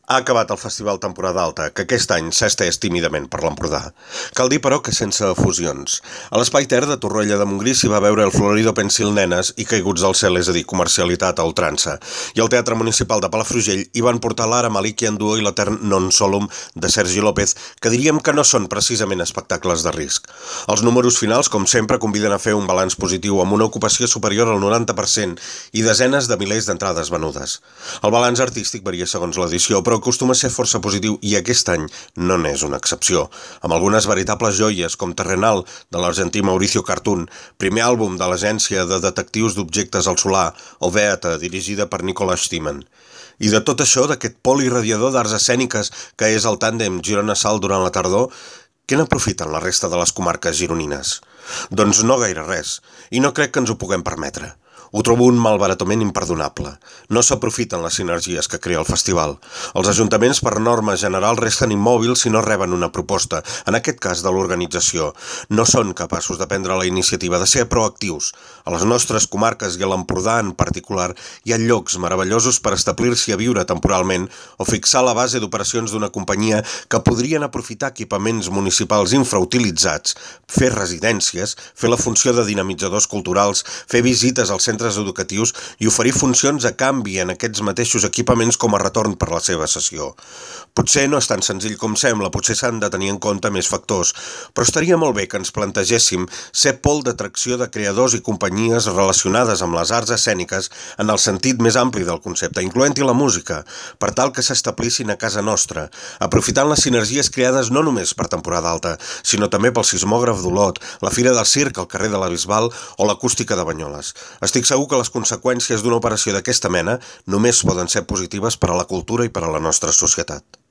Ha acabat el Festival Temporada Alta, que aquest any s'ha estès tímidament per l'Empordà. Cal dir, però, que sense efusions. A l'Espai Ter de Torroella de Montgrí s'hi va veure el Florido Pensil Nenes i Caiguts del cel, és a dir, comercialitat a ultrança. I al Teatre Municipal de Palafrugell hi van portar l'Ara Malikian Duo i l'Etern Non Solum de Sergi López, que diríem que no són precisament espectacles de risc. Els números finals, com sempre, conviden a fer un balanç positiu amb una ocupació superior al 90% i desenes de milers d'entrades venudes. El balanç artístic varia segons l'edició, però acostuma a ser força positiu i aquest any no n'és una excepció, amb algunes veritables joies com Terrenal, de l'argentí Mauricio Cartún, primer àlbum de l'agència de detectius d'objectes al solar, o Beata, dirigida per Nicolas Stiman. I de tot això, d'aquest pol irradiador d'arts escèniques que és el tàndem Girona-Salt durant la tardor, què n'aprofiten la resta de les comarques gironines? Doncs no gaire res, i no crec que ens ho puguem permetre. Ho trobo un malbaratament imperdonable. No s'aprofiten les sinergies que crea el festival. Els ajuntaments, per norma general, resten immòbils si no reben una proposta, en aquest cas de l'organització. No són capaços de prendre la iniciativa, de ser proactius. A les nostres comarques i a l'Empordà en particular hi ha llocs meravellosos per establir-s'hi a viure temporalment o fixar la base d'operacions d'una companyia que podrien aprofitar equipaments municipals infrautilitzats, fer residències, fer la funció de dinamitzadors culturals, fer visites als centres educatius i oferir funcions a canvi en aquests mateixos equipaments com a retorn per la seva cessió. Potser no és tan senzill com sembla, potser s'han de tenir en compte més factors, però estaria molt bé que ens plantegéssim ser pol d'atracció de creadors i companyies relacionades amb les arts escèniques en el sentit més ampli del concepte, incloent-hi la música, per tal que s'establissin a casa nostra, aprofitant les sinergies creades no només per temporada alta, sinó també pel sismògraf d'Olot, la Fira del Circ al carrer de la Bisbal o l'acústica de Banyoles. Estic segur que les conseqüències d'una operació d'aquesta mena només poden ser positives per a la cultura i per a la nostra societat.